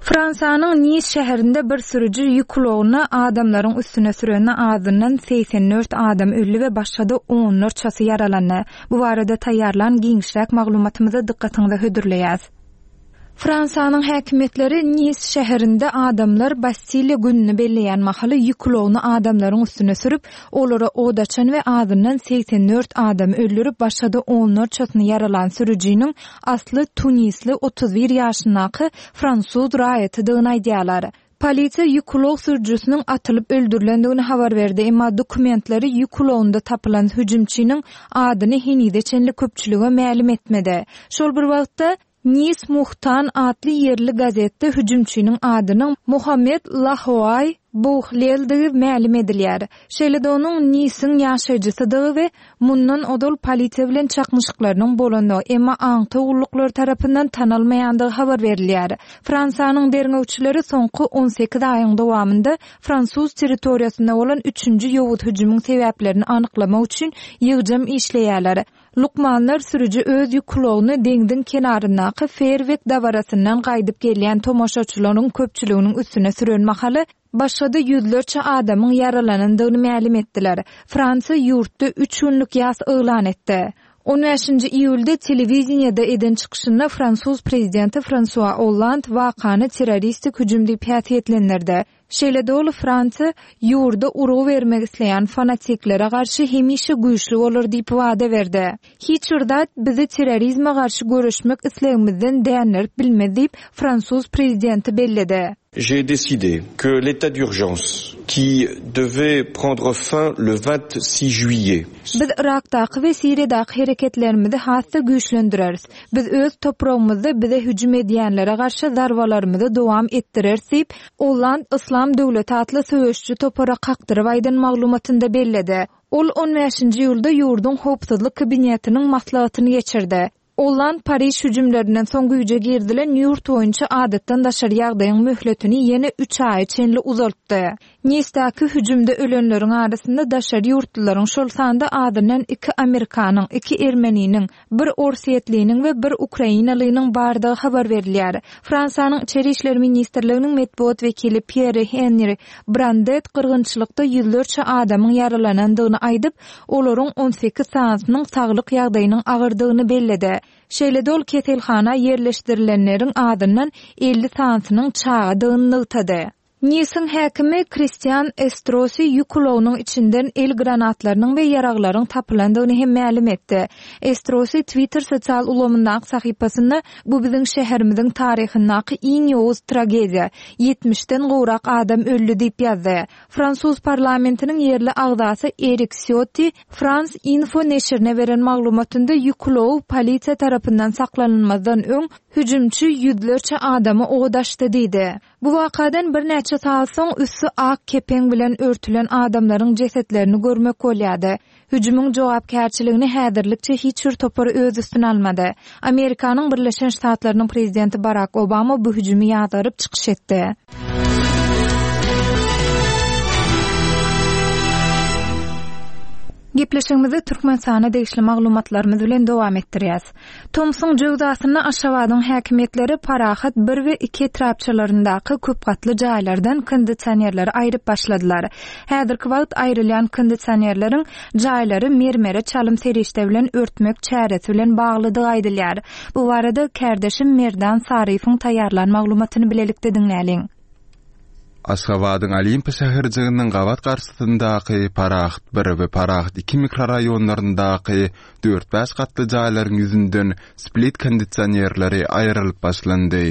Fransiýanyň Nis şäherinde bir sürüji ýük ulagyny adamlaryň üstüne sürende azyndan 84 adam öldi we başga-da onlarçasy ýaralandy. Bu barada taýýarlan giňişräk maglumatymyzy dykgatyňyza hödürleýäs. Fransiýanyň häkimiýetleri Nis şäherinde adamlar Bastiliýa gününi belleýän mahaly ýük ulagyny adamlaryň üstüne sürüp, olara od açan we azyndan 84 adamy öldürip, başga-da onlarçasyny ýaralan sürüjiniň asly tunisli 31 ýaşyndaky fransuz raýatydygyny aýdýarlar. Polisiýa ýük ulag sürüjisiniň atylyp öldürilendigini habar berdi, emma dokumentleri ýük ulagynda tapylan hüjümçiniň adyny henize çenli köpçülige mälim etmedi. Şol bir wagtda, Nis Muhtan atly ýerli gazetde hüjümçiniň adynyň Mohamed Lahoai Bouhleldigi mälim edilýär. Şeýle-de onuň Nisiň ýaşaýjysydygy we mundan ozal polisiýa bilen çaknyşyklarynyň bolandygy, emma aňtaw gulluklary tarapyndan tanalmaýandygy habar berilýär. Fransiýanyň derňewçileri soňky 18 aýyň dowamynda fransuz territoriýasynda bolan üçünji ýowuz hüjümiň sebäplerini anyklamak üçin ýygjam işleýärler. Lukmanlar sürüji öz ýük ulagyny deňziň kenaryndaky feýerwerk dabarasyndan gaýdyp gelýän tomaşaçylaryň köpçüliginiň üstüne süren mahaly, başga-da ýüzlerçe adamyň ýaralanandygyny mälim etdiler. Fransiýa ýurtda üç günlük ýas yglan etdi. On bäşinji iýulda telewideniýede eden çykyşynda fransuz prezidenti Fransua Olland wakany terroristik hüjüm diýip häsiýetlendirdi. Şeýle-de ol Fransiýa ýurda urgy bermek isleýän fanatiklere garşy hemişe güýçli bolar diýip wada berdi. Hiç bir zat bizi terrorizme garşy göreşmek islegimizden dändirip bilmez diýip, fransuz prezidenti belledi. J'ai décidé que l'état d'urgence qui devait prendre fin le 26 juillet, Biz Yrakdaky we Siriýadaky hereketlerimizi has-da güýçlendireris. Biz öz topragymyzda bize hüjüm edýänlere garşy zarbalarymyzy dowam etdireris diýip, Olland Yslam döwleti atly söweşiji topara kakdyryp aýdan maglumatynda belledi. Ol on bäşinji iýulda ýurduň Howpsuzlyk kabinetiniň maslahatyny geçirdi. Olland Pariž hüjümlerinden soň güýje girizilen ýurt boýunça adatdan daşary ýagdaýyň möhletini ýene üç aýa çenli uzaltdy. Nisdäki hüjümde ölenleriň arasynda daşary ýurtlularyň, şol sanda azyndan iki amerikanyň, iki ermeniniň, bir orsýetliniň we bir ukrainalynyň bardygy habar berilýär. Fransiýanyň Içeri işler ministrliginiň metbugat wekili Pýerre-Henri Brandet gyrgynçylykda ýüzlerçe adamyň ýaralanandygyny aýdyp, olaryň 18 sanysynyň saglyk ýagdaýynyň agyrdygyny belledi. Şeýle-de ol keselhana ýerleşdirilenleriň azyndan 50 sanysynyň çagadygyny nygtady. Nisiň häkimi Kristian Estrosi ýük ulagynyň içinden el granatlarynyň we ýaraglaryň tapylandygyny hem mälim etdi. Estrosi Twitter sosial ulgamyndaky sahypasynda Bu biziň şäherimiziň taryhyndaky iň ýowuz tragediýa, ýetmişden gowrak adam öldi diýip ýazdy. Fransuz parlamentiniň ýerli agzasy Erik Sýotti France Info neşirine beren maglumatynda ýük ulagy polisiýa tarapyndan saklanylmazdan öň hüjümçi ýüzlerçe adama od açdy diýdi. Bu wakadan birnäçe sagat soň üsti ak kepeň bilen örtülen adamlaryň jesetlerini görmek bolýardy. Hüjümiň jogapkärçiligini häzirlikçe hiç bir topar öz üstüne almady. Amerikanyň Birleşen Ştatlarynyň prezidenti Barak Obama bu hüjümi ýazgaryp çykyş etdi. Gepleşigimizi Türkmenistana degişli maglumatlarymyz bilen dowam etdirýäs. Tomsuň jöwzasynda Aşgabadyň häkimiýetleri Parahat bir we iki etrapçalaryndaky köp gatly jaýlardan kondisionerleri aýryp başladylar. Häzirki wagt aýrylýan kondisionerleriň jaýlary mermere çalym serişde bilen örtmek çäresi bilen baglydygy aýdylýar. Bu barada kärdeşim Merdan Saryýewiň taýýarlan maglumatyny bilelikde diňläliň. Aşgabadyň Olimpiýa şäherjiginiň gabat garşysyndaky Parahat bir we Parahat iki mikroraýonlaryndaky dört-bäş gatly jaýlaryň ýüzünden split-kondisionerleri aýrylyp başlandy.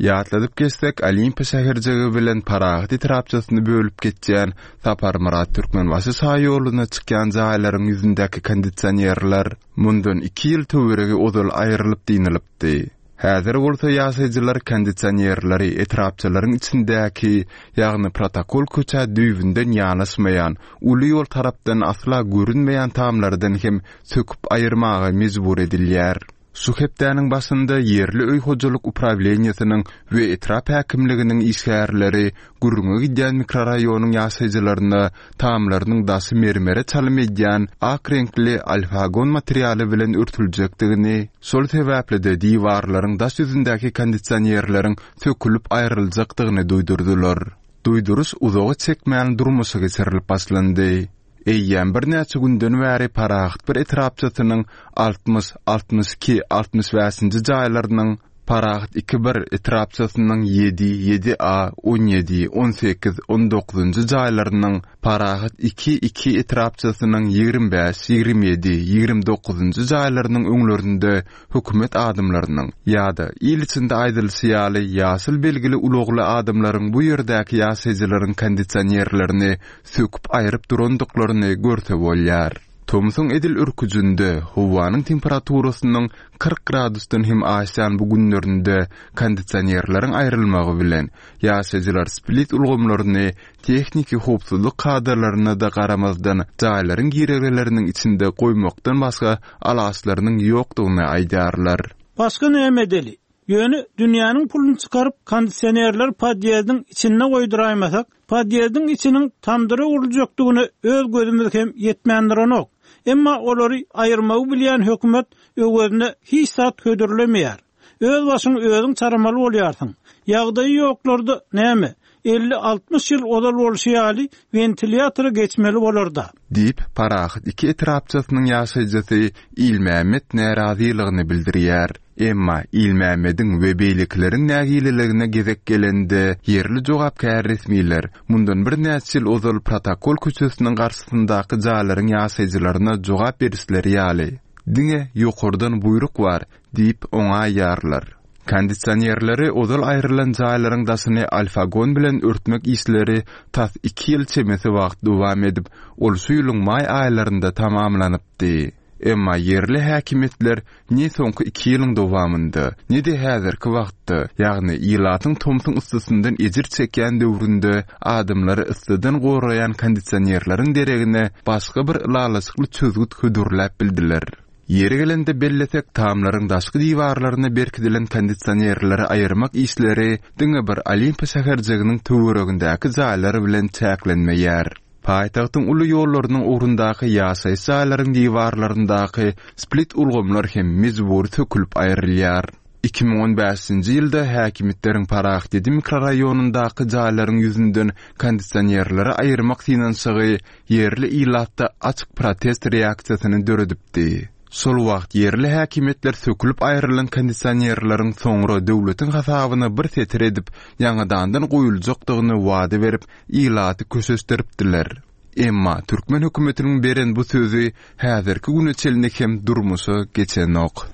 Ýatladyp geçsek, Olimpiýa şäherjigi bilen Parahat etrapçasyny bölüp geçýän Saparmyrat Türkmenbaşy şaýoluna çykýan jaýlaryň ýüzündäki kondisionerler mundan iki ýyl töweregi ozal aýrylyp dynylypdy. Häzir bolsa ýaşaýjylar kondisionerleri etrapçalaryň içindäki, ýagny protokol köçä düýbünden ýanaşmaýan, uly ýol tarapdan asla görünmeýän tamlardan hem söküp aýyrmaga mejbur edilýär. Şu hepdäniň başynda ýerli öý hojalyk uprawleniýesiniň we etrap häkimliginiň işgärleri gürrüňi gidýän mikroraýonyň ýaşaýjylaryna tamlarynyň daşy mermere çalym edýän ak reňkli alfagon materialy bilen örtüljekdigini, şol sebäpli-de diwarlaryň daş ýüzündäki kondisionerleriň sökülip aýryljakdygyny duýdurdylar. Duýduryş uzaga çekmän durmuşa geçirilip başlandy. Eýýäm birnäçe günden bäri Parahat bir etrapçasynyň 60, 62, 65-nji jaýlarynyň, Parahat II bir etrapçasynyň ýedi, ýedi A, 17, 18, 19-njy jaýlarynyň, Parahat II-II etrapçasynyň 25, 27, 29-njy jaýlarynyň öňlerinde hökümet adamlarynyň, ýa-da, il içinde aýdylyşy ýaly, ýaşyl belgili ulagly adamlaryň bu ýerdäki ýaşaýjylaryň kondisionerlerini söküp aýryp durandyklaryny görse bolýar. Tomsuň edil örküjinde, howanyň temperaturasynyň 40 gradusdan hem aşýan bu günlerinde kondisionerleriň aýrylmagy bilen, ýaşaýjylar split ulgamlaryny tehniki howpsuzlyk kadalaryna-da garamazdan jaýlaryň girelgeleriniň içinde goýmakdan başga alaçlarynyň ýokdugyny aýdýarlar. Başga näme edeli? Ýöne dünýäniň puluny çykaryp, kondisionerleri podýezdiň içinde goýduraýmasak, podýezdiň içiniň tamdyra öwrüljekdigine öz gözümiz hem ýetmän duranok. Emma olary aýyrmagy bilýän hökümet öwezine hiç zat hödürlemeýär. Öz başyňy özüň çaramaly bolýarsyň. Ýagdaýy ýoklarda näme, elli-altmyş ýyl ozal bolşy ýaly wentilýatora geçmeli bolar-da. Diýip, Parahat iki etrapçasynyň ýaşaýjysy Ilmämmet närazylygyny bildirýär. Emma Ilmämmediň we beýlekileriň nägileligine gezek gelende, ýerli jogapkär resmiler mundan birnäçe ýyl ozal Protokol köçesiniň garşysyndaky jaýlaryň ýaşaýjylaryna jogap berişleri ýaly, diňe ýokardan buýruk bar diýip oňaýýarlar. Kondisionerleri ozal aýrylan jaýlaryň daşyny alfagon bilen örtmek işleri tas iki ýyl çemesi wagt dowam edip, ol şu ýylyň maý aýlarynda tamamlanypdy. Emma ýerli häkimiýetler ne soňky iki ýylyň dowamynda, ne-de häzirki wagtda, ýagny ilatyň tomsuň yssysyndan ejir çekýän döwründe adamlary yssydan goraýan kondisionerleriň deregine başga bir ylalaşykly çözgüt hödürläp bildiler. Ýeri gelende bellesek, tamlaryň daşky diwarlaryna berkidilen kondisionerleri aýyrmak işleri diňe bir Olimpiýa şäherjiginiň töweregindäki jaýlar bilen çäklenmeýär. Paýtagtyň uly ýollarynyň ugrundaky ýaşaýyş jaýlaryň diwarlaryndaky split ulgamlar hem mejbury sökülip aýrylýar. 2015-nji ýylda häkimiýetleriň Parahat-ýedi mikroraýonyndaky jaýlaryň ýüzünden kondisionerleri aýyrmak synanyşygy ýerli ilatda açyk protest reaksiýasyny döredipdi. Şol wagt ýerli häkimiýetler sökülip aýrylan kondisionerleriň soňra döwletiň hasabyna bir setir edip, ýaňadandan goýuljakdygyny wada berip, ilaty köşeşdiripdiler. Emma türkmen hökümetiniň beren bu sözi häzirki güne çenli hem durmuşa geçenok.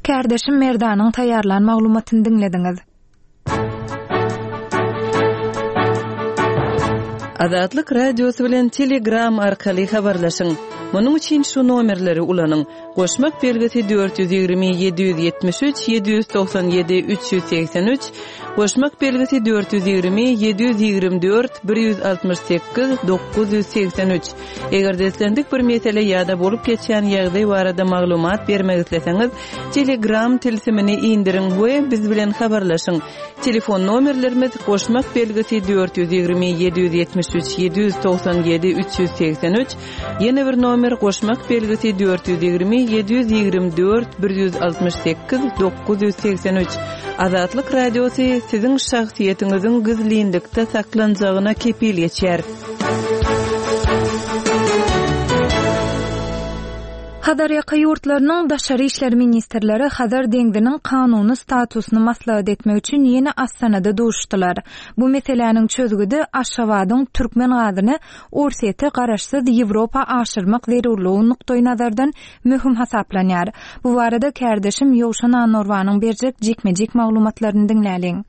Kärdeşim Merdanyň taýýarlan maglumatyny diňlediňiz. Azatlyk Radiosy bilen Telegram arkaly habarlaşyň. Munuň üçin şu nomerleri ulanyň, goşmak belgisi 420 773 797 383, goşmak belgisi 420 724 168 983. Eger-de islendik bir mesele ýa-da bolup geçýän ýagdaý barada maglumat bermek isleseňiz, Telegram tilsimini indiriň we biz bilen habarlaşyň. Telefon nomerlerimiz, goşmak belgisi 420 773 797 383, ýene bir nomer goşmak belgisi 420 724 168 983. Azatlyk Radiosy siziň şahsyýetiňiziň gizlinlikde saklanjagyna kepil geçýär. Hazarýaka ýurtlarynyň daşary işler ministrleri Hazar deňziniň kanuny statusyny maslahat etmek üçin ýene Astanada duşuşdylar. Bu meseläniň çözgüdi Aşgabadyň türkmen gazyny Orsýete garaşsyz Ýewropa aşyrmak zerurlygy nukdaýnazardan möhüm hasaplanýar. Bu barada kärdeşim Ýowşan Annorbanyň berjek jikme-jik maglumatlaryny diňläliň.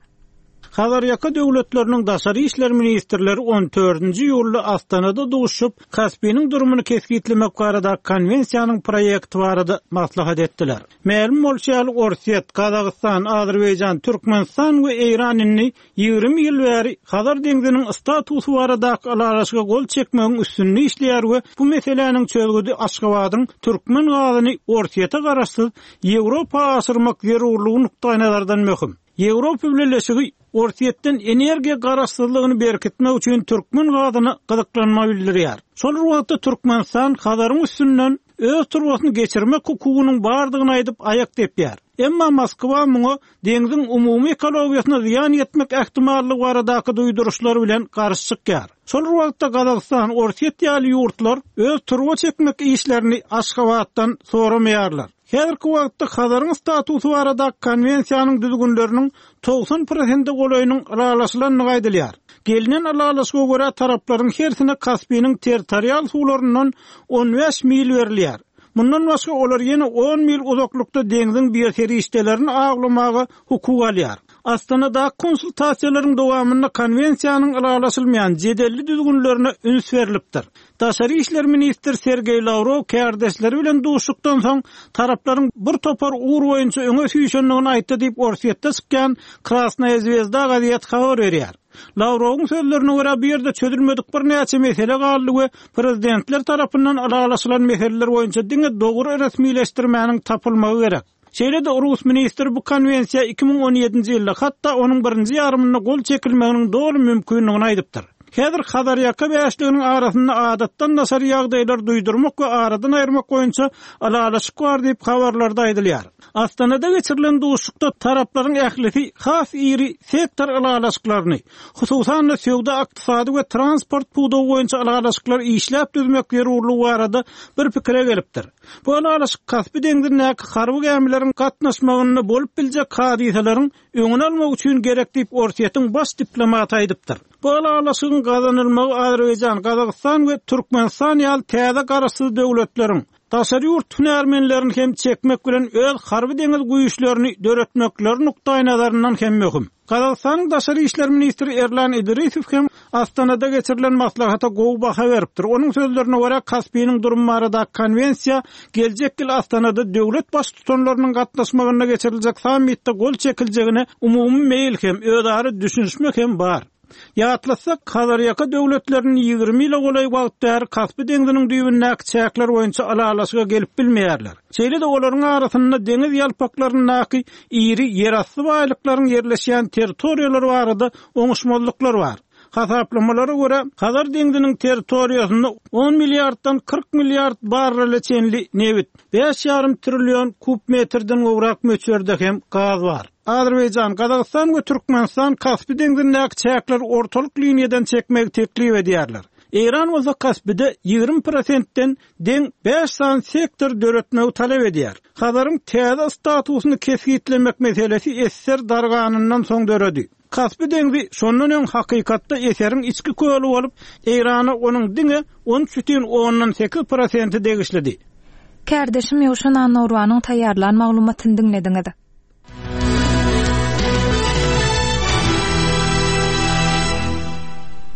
Hazarýaka döwletleriniň daşary işler ministrleri on dördünji iýulda Astanada duşuşyp, Kaspiniň durumyny kesgitlemek baradaky konwensiýanyň proýekti barada maslahat etdiler. Mälim bolşy ýaly, Orsýet, Gazagystan, Azerbaýjan, Türkmenistan we Eýran indi 20 ýyl bäri Hazar deňziniň statusy baradaky ylalaşyga gol çekmegiň üstünde işleýär we bu meseläniň çözgüdi Aşgabadyň türkmen gazyny Orsýete garaşsyz Ýewropa aşyrmak zerurlygy nukdaýnazardan möhüm. Ýewropa Bileleşigi Orsýetden energiýa garaşsyzlygyny berkitmek üçin türkmen gazyna gyzyklanma bildirýär. Şol bir wagtda Türkmenistan Hazaryň üstünden öz turbasyny geçirmek hukugynyň bardygyny aýdyp aýak depýär. Emma Moskwa muňa deňziň umumy ekologiýasyna zyýan ýetmek ähtimallygy baradaky duýduryşlar bilen garşy çykýar. Şol bir wagtda Gazagystan, Orsýet ýaly ýurtlar öz turba çekmek işlerini Aşgabatdan soramaýarlar. Häzirki wagtda Hazaryň statusy baradaky konwensiýanyň düzgünleriniň 90 prosente golaýynyň ylalaşylandygy aýdylýar. Gelnen ylalaşyga görä taraplaryň hersine Kaspiniň territorial suwlaryndan 15 mil berilýär. Mundan başga olar ýene on mil uzaklykda deňziň bioserişdelerini awlamaga hukuk alýar. Astanadaky konsultasiýalaryň dowamynda konwensiýanyň ylalaşylmaýan jedelli düzgünlerine üns berlipdir. Daşary işler ministri Sergeý Lawrow kärdeşleri bilen duşuşykdan soň, taraplaryň bir topar ugur boýunça öňe süýşendigini aýtdy diýip, Orsýetde çykýan Krasnaýa Zwezda gazeti habar berýär. Lawrowyň sözlerine görä, bu ýerde çözülmedik birnäçe mesele galdy we prezidentler tarapyndan ylalaşylan meseleler boýunça diňe dogry resmileşdirmäniň tapylmagy gerek. Şeýle-de rus ministri bu konwensiýa 2017-nji ýylda, hatda onuň birinji ýarymynda gol çekilmeginiň doly mümkindigini aýdypdyr. Häzir Hazarýaka bäşliginiň arasynda adatdan daşary ýagdaýlary duýdurmak we aradan aýyrmak boýunça ylalaşyk bar diýip, habarlarda aýdylýar. Astanada geçirilen duşuşykda taraplaryň ählisi has iri sektor ylalaşyklaryny, hususan-da, söwda-ykdysady we transport pudagy boýunça ylalaşyklary işläp düzmek zerurlygy barada bir pikire gelipdir. Bu ylalaşyk Kaspi deňzindäki harby gämileriň gatnaşmagynda bolup biljek hadysalaryň öňüni almak üçin gerek diýip, Orsýetiň baş diplomaty aýdypdyr. Bu ylalaşygyň gazanylmagy Azerbaýjan, Gazagystan we Türkmenistan ýaly täze garaşsyz döwletleriň daşary ýurt hünärmenlerini hem çekmek bilen öz harby-deňiz güýçlerini döretmekleri nukdaýnazaryndan hem möhüm. Gazagystanyň daşary işler ministri Erlan Idrisow hem Astanada geçirilen maslahata gowy baha beripdir. Onuň sözlerine görä, Kaspiniň durumy baradaky konwensiýa geljek ýyl Astanada döwlet Baştutanlarynyň gatnaşmagynda geçiriljek sammitde gol çekiljegine umumy meýil hem, özara düşünişmek hem bar. Ýatlatsak, Hazarýaka döwletlerini 20 ýyla golaý wagt bäri Kaspi deňziniň düýbündäki çäkler boýunça ylalaşyga gelip bilmeýärler. Şeýle-de olaryň arasynda deňiz ýalpaklaryndaky iri ýerasty baýlyklaryň ýerleşýän territoriýalary barada oňuşmazlyklar bar. Hasaplamalara görä, Hazar deňziniň territoriýasynda on milliarddan 40 milliard barrele çenli nebit, bäş ýarym trillion kub metrden gowrak möçberde hem gaz bar. Azerbaýjan, Gazagystan we Türkmenistan Kaspi deňzindäki çäkleri ortalyk liniýadan çekmegi teklip edýärler. Eýran bolsa Kaspide 20 prosentden deň bäş sany sektor döretmegi talap edýär. Hazaryň täze statusyny kesgitlemek meselesi ssr darganyndan soň döredi. Kaspi deňzi şondan öň hakykatda ssr-iň içki köli bolup, Eýrana onuň diňe 13,8 prosenti degişlidi. Kärdeşim Ýowşan Annagurbanyň taýýarlan maglumatyny diňlediňiz.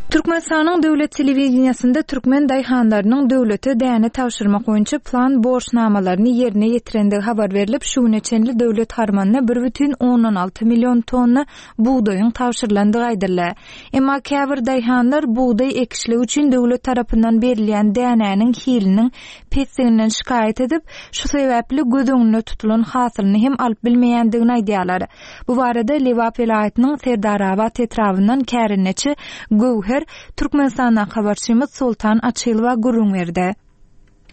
Türkmenistanyň döwlet telewideniýesinde türkmen daýhanlarynyň döwlete däne tabşyrmak boýunça plan borçnamalaryny ýerine ýetirendigi habar berlip, şu güne çenli döwlet harmanyna bir bütin ondan alty million tonna bugdaýyň tabşyrylandygy aýdyldy. Emma käbir daýhanlar bugdaý ekişligi üçin döwlet tarapyndan berilýän dänäniň hiliniň pesdiginden şikaýat edip, şu sebäpli göz öňünde tutulan hasylyny hem alyp bilmeýändigini aýdýarlar. Bu barada Lebap welaýatynyň Serdarabat etrabyndan kärendeçi Göwher Türkmenistandaky habarçymyz Soltan Açylowa gürrüň berdi.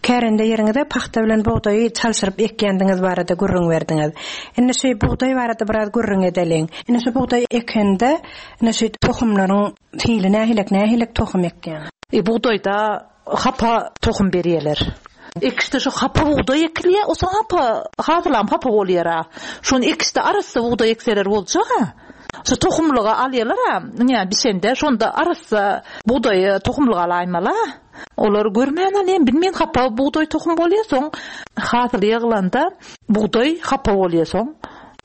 Kärende ýeriňize pagta bilen bugdaýy çalşyryp ekýändigiňiz barada gürrüň berdiňiz. Indi şu bugdaý barada biraz gürrüň edeliň. Indi şu bugdaý ekende, indi şu tohumlaryň hili nähilek, nähilek tohum ekýäňiz? Bugdaýda hapa tohum berýärler. Ekişde şu hapa bugdaý ekilýär, osoň hapa, hasylam hapa bolýar-a. Şony ekişde arassa bugdaý ekseler boljak-a. Şu tohumlyga alýarlar-a, ine, bişende, şonda arassa bugdaýy tohumlyga alaýmaly-a. Olar görmän alýan, bilmän hapa bugdaý tohum bolýar, soň hasyl ýyglanda bugdaý hapa bolýar soň.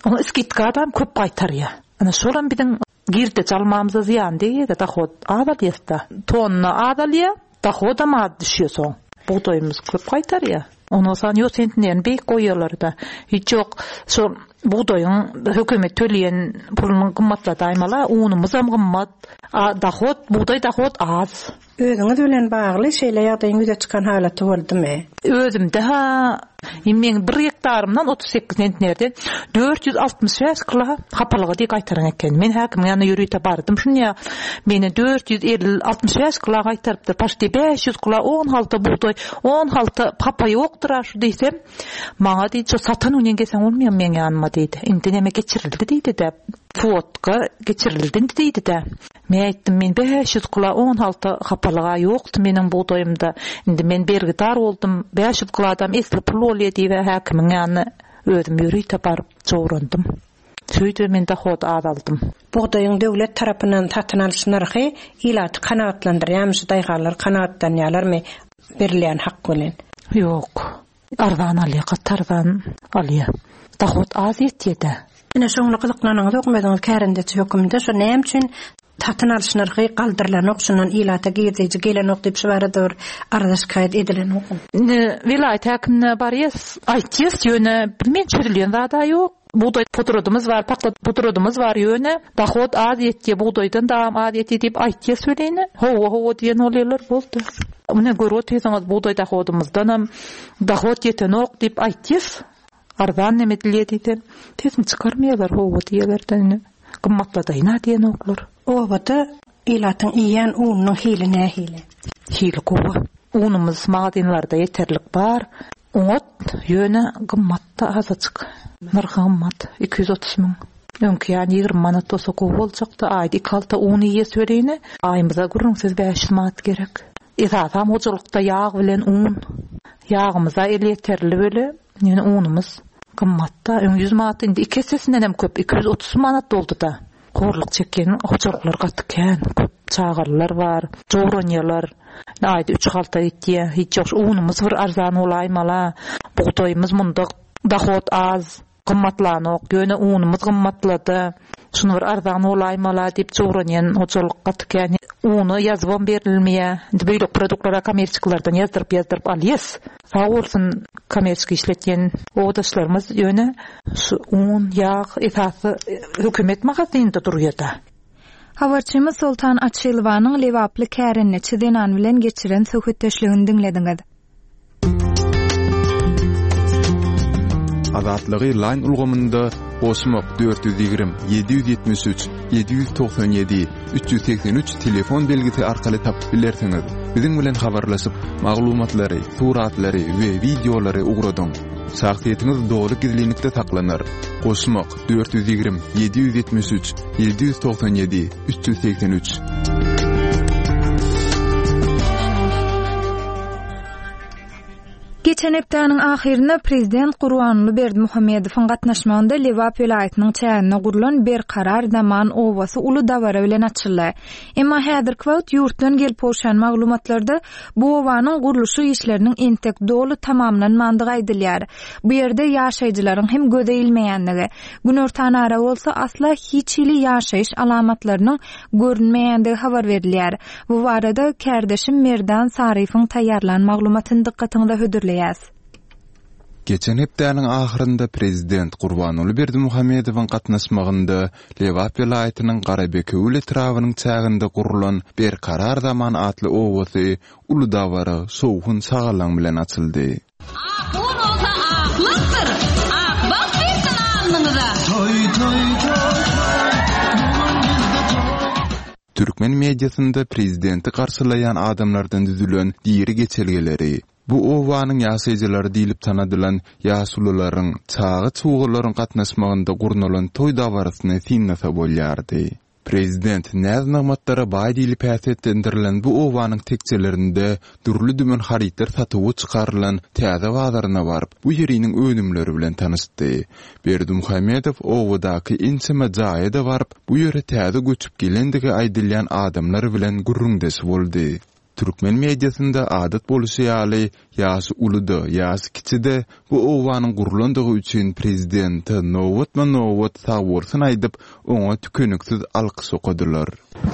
Oňa skidka-dam köp gaýtarýar. Ine, şolam biziň. Girdeji almamyza zyýan degýär-de, dohod azalýar-da. Tonna azalýar, dohodam az düşýär soň. Bugdaýymyz köp gaýtarýar. Ondan soň ýok sentnerini beýik goýýarlar-da. Hiç ýok şo bugdaýyň hökümet töleýän puluny gymmatladaýmaly-a, unumyzam gymmat. A dohod, bugdaý dohod az. Özüňiz bilen bagly şeýle ýagdaýyň ýüze çykan halaty boldumy? Özümde-hä meň bir gektarymdan 38 sentnerden 465 kilo hapalyga diý gaýtaran eken. Men häkimiň ýanyna ýörite bardym şunýa. Menden 450, 65 kilo gaýtarypdyr. Paçti 500 kilo on halta bugdaý, on halta hapa ýokdur-a şu diýsem, maňa diýdi, şo satan günden gelseň bolmaýarmy meň ýanyma diýdi. Indi neme geçirildi diýdi-de, swotka geçirildi indi diýdi-de. Men aýtdym, men 500 kula on halta hapalyga ýokdy meniň bugdaýymda. Indi men bergidar boldum, 500 kuladam esli pul bolýa diýib-ä häkimiň ýanyna özüm ýörite baryp jowrandym. Şeýdibem men dohod azaldym. Bugdaýyň döwlet tarapyndan satyn alyş nyrhy ilaty kanagatlandyrýarmy, şu daýhanlar kanagatlanýarlarmy berilýän hak bilen? Ýok. Arzan alýa, gaty arzan alýa. Dohod az ýetýä-dä. Ine şoňla gyzyklanaňyzokmy özüňiz kärendeçi höküminde şo näme üçin satyn alyş nyrhy galdyrylanok şundan ilata girdeýji gelenok diýip şu barada bir arza şikaýat edilenokmy? Indi welaýat häkimine barýas, aýtýas ýöne bilmen çözülýän zada ýok. Bugdaý potradymyz bar, pagta potradymyz bar ýöne dohod az ýetýä bugdaýdan dagam az ýetýä diýip aýtýas welin hawa hawa diýen bolýarlar boldy. Ine görüp otyrsyňyz bugdaý dohodymyzdanam dohod ýetenok diýip aýtýas. Arzan neme edilýär diýsem, sesini çykarmaýarlar, hawa diýýärler-de indi gymmatladaýyn-a diýenoklar. Obada ilatyň iýýän ununyň hili nähili? Hili gowy. Unumyz magazynlarda ýeterlik bar. Oňat, ýöne gymmat-da azajyk. Nyrhy gymmat, 230 müň. Öňki ýaly 20 manat bolsa gowy boljakdy. Aýda iki halta un iýýäs welin, aýymyza gürrüňsiz 500 manat gerek. Esasam hojalykda ýag bilen un. Ýagymyza elýeterli weli, ýöne unumyz gymmat-da. Öň ýüz manat, indi iki essesindenem köp, 230 manat boldy-da. Horluk çekýän hojalyklar gaty kän, köp çagalylar bar, jowranýalar. Indi aýda üç halta gitýär. Hiç ýok, şu unumyz bir arzan bolaýmal-a. Bugdaýymyz munda dohod az. Gymmatlanok, ýöne unumyz gymmatlady. Şuny bir arzan bolaýmala diýip jowranýan hojalyk gaty kän. Una ýazybam berilmeýär. Indi beýleki produktlara kommerçikilerden ýazdyryp-ýazdyryp alýas. Sag bolsun kommerçiki işletýän obadaşlarymyz, ýöne şu un, ýag esasy hökümet magazynda durýada. Habarçymyz Soltan Açylowanyň lebaply kärendeçi zenan bilen geçiren söhbetdeşligini diňlediňiz. Azatlygy Line ulgamynda goşmak 420 773 797 383 telefon belgisi arkaly tapyp bilersiňiz. Biziň bilen habarlaşyp, maglumatlary, suratlary we wideolary ugradyň. Şahsyýetiňiz doly gizlinlikde saklanar. Goşmak 420 773 797 383. Geçen hepdäniň ahyrynda prezident Gurbanguly Berdimuhamedowyň gatnaşmagynda Lebap welaýatynyň çäginde gurlan Berkarar zaman obasy uly dabara bilen açyldy. Emma häzirki wagt ýurtdan gelip gowşan maglumatlarda bu obanyň gurluşyk işleriniň entek doly tamamlanmandygy aýdylýar. Bu ýerde ýaşaýjylaryň hem göze ilmeýändigi, günortanara bolsa asla hiç hili ýaşaýyş alamatlarynyň görünmeýändigi habar berilýär. Bu barada kärdeşim Merdan Saryýewiň taýýarlan maglumatyny dykgatyňyza hödürleýäs. Geçen hepdäniň ahyrynda prezident Gurbanguly Berdimuhamedowyň gatnaşmagynda Lebap welaýatynyň Garabekewül etrabynyň çäginde gurlan Berkarar zaman atly obasy uly dabara, şowhun-şagalaň bilen açyldy. Ak un bolsa aklykdyr, Ak bagt bersin alnyňyza. Toý toý toý toý bu gün bizde toý. Türkmen mediasynda prezidenti garşylaýan adamlardan düzülen diri geçelgeleri, bu obanyň ýaşaýjylary diýlip tanadylan ýaşulularyň, çaga-çugalaryň gatnaşmagynda gurnalan toý dabarasyny synlasa bolýardy. Prezident näz-nygmatlara baý diýlip häsiýetlendirilen bu obanyň tekjelerinde dürli-dümen harytlar satuwa çykarylan täze bazaryna baryp, bu ýeriniň önümleri bilen tanyşdy. Berdimuhamedow obadaky ençeme jaýa-da baryp, bu ýere täze göçüp gelendigi aýdylýan adamlar bilen gürrüňdeş boldy. Türkmen mediasynda adat bolşy ýaly, ýaşy uly-da, ýaşy kiçi-de bu obanyň gurlandygy üçin prezidente nobatma-nobat sagbolsun aýdyp, oňa tükeniksiz alkyş okadylar.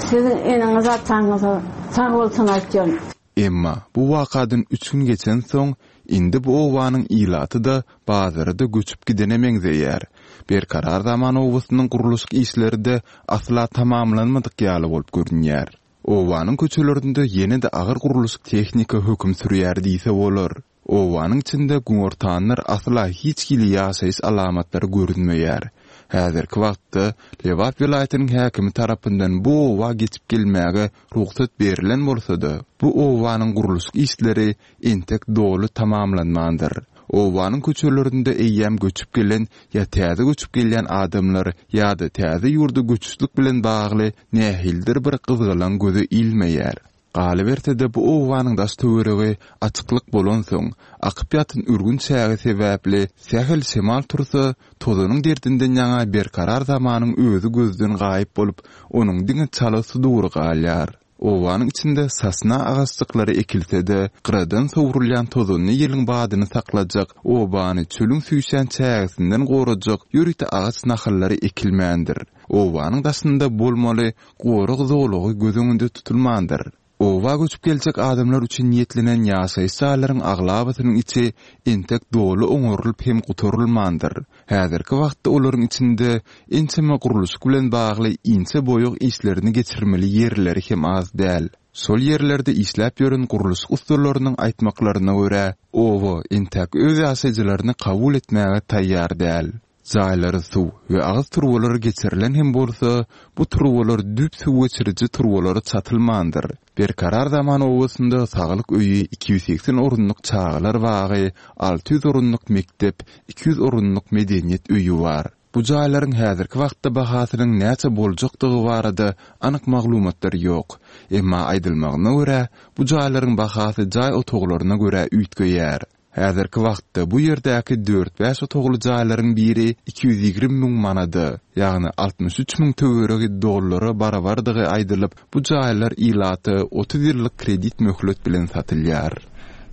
Siziň eneňiz-ataňyza sagbolsun aýtýan. Emma bu wakadan üç gün geçensoň, indi bu obanyň ilaty-da, bazary-da göçüp gidene meňzeýär. Berkarar zaman obasynyň gurluşyk işleri-de asla tamamlanmadyk ýaly bolup görünýär. Obanyň köçelerinde ýene-de agyr gurluşyk tehnika höküm sürýär diýse bolar. Obanyň içinde günortanlar asla hiç hili ýaşaýyş alamatlary görünmeýär. Häzirki wagtda Lebap welaýatynyň häkimi tarapyndan bu oba geçip gelmäge rugsat berlen bolsa-da, bu obanyň gurluşyk işleri entek doly tamamlanmandyr. Obanyň köçelerinde eýýäm göçüp gelen ýa täze göçüp gelýän adamlar ýa-da täze ýurda göçüşlik bilen bagly nähilidir bir gyzgalaň göze ilmeýär. Galyberse-de bu obanyň daş-töweregi açyklyk bolansoň, akyp ýatan ürgün çäge sebäpli sähel şemal tursa, tozanyň derdinden ýaňa berkarar zamanyň özi gözden gaýyp bolup, onuň diňe çala sudury galýar. Obanyň içinde sosna agaçjyklary ekilse-de, gyradan sowrulýan tozanly ýeliň badyny saklajak, obany çölüň süýşýän çägesinden gorajak ýörite agaç nahallary ekilmändir. Obanyň daşynda bolmaly gorag zolagy göz öňünde tutulmandyr. Oba göçüp geljek adamlar üçin niýetlenen ýaşaýyş jaýlaryň aglabasynyň içi entek doly oňarylyp hem gutarylmandyr. Häzirki wagtda olaryň içinde ençeme gurluşyk bilen bagly inçe boýag işlerini geçirmeli ýerleri hem az däl. Şol ýerlerde işläp ýören gurluşyk ussalarynyň aýtmaklaryna görä, oba entäk öz ýaşaýjylaryny kabul etmäge taýýar däl. Jaýlara suw we agyz turbalary geçirilen hem bolsa, bu turbalar düýp suw geçiriji turbalara çatylmandyr. Berkarar zaman obasynda saglyk öýi, 280 orunlyk çagalar bagy, 600 orunlyk mekdep, 200 orunlyk medeniýet öýi bar. Bu jaýlaryň häzirki wagtda bahasynyň näçe boljakdygy barada anyk maglumatlar ýok. Emma aýdylmagyna görä, bu jaýlaryň bahasy jaý otaglaryna görä üýtgeýär. Häzirki wagtda bu ýerdäki dört-bäş otagly jaýlaryň biri 220 müň manada, ýagny 63 müň töweregi dollara barabardygy aýdylyp, bu jaýlar ilata 30 ýyllyk kredit möhlet bilen satylýar.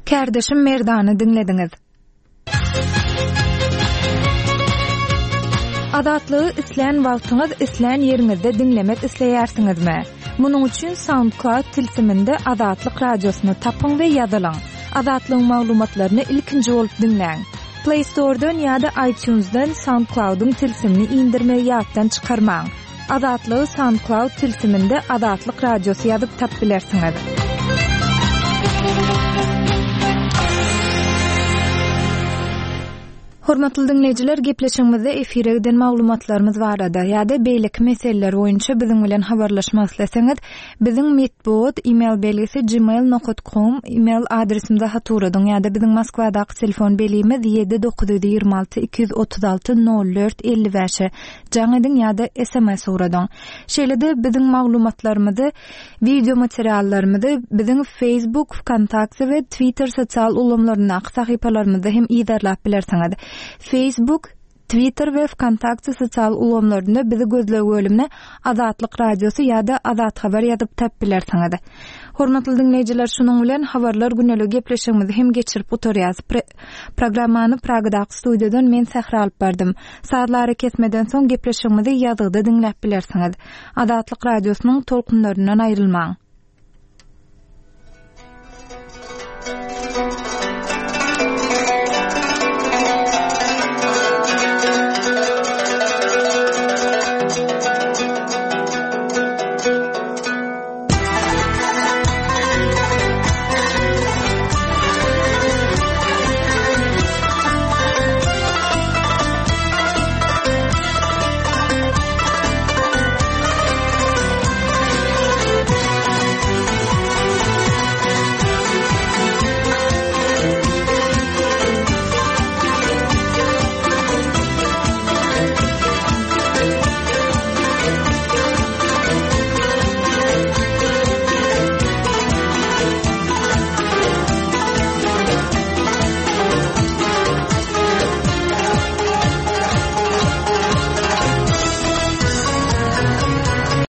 Kärdeşim Merdany diňlediňiz. Azatlygy islän wagtyňyz, islän ýeriňizde diňlemek isleýärsiňizmi? Munuň üçin SoundCloud tilsiminde Azatlyk Radiosyny tapyň we ýazylyň. Azatlygyň maglumatlaryny ilkinji bolup diňläň. Play Store-dan ýa-da iTunes-dan SoundCloud-yň tilsimini indirmegi ýatdan çykarmaň. Azatlygy SoundCloud tilsiminde Azatlyk Radiosy ýazyp tap bilersiňiz. Hormatly diňleýjiler, gepleşigimizde efire giden maglumatlarymyz barada ýa-da beýleki meseleler boýunça biziň bilen habarlaşmak isleseňiz, biziň metbugat email belgisi gmail nokat com email adresimize hat ugradyň ýa-da biziň Moskwadaky telefon belgimiz 7 926 236 04 55-e jaň ediň ýa-da sms ugradyň. Şeýle-de biziň maglumatlarymyzy Wideo materiallarymyzy biziň Facebook, Wkontakte we Twitter sosial ulgamlaryndaky sahypalarymyzda hem yzarlap bilersiňiz. Facebook, Twitter we Wkontakte sosial ulgamlarynda bizi gözleg bölümine Azatlyk Radiosy ýa-da Azathabar ýazyp tap bilersiňiz. Hormatly diňleýjiler, şunuň bilen Habarlar güneligi gepleşigimizi hem geçirip gutarýas. Programmany Pragadaky studiýadan men Sähra alyp bardym. Sazly arakesmeden soň gepleşigimizi ýazgyda diňläp bilersiňiz. Azatlyk Radiosynyň tolkunlaryndan aýrylmaň!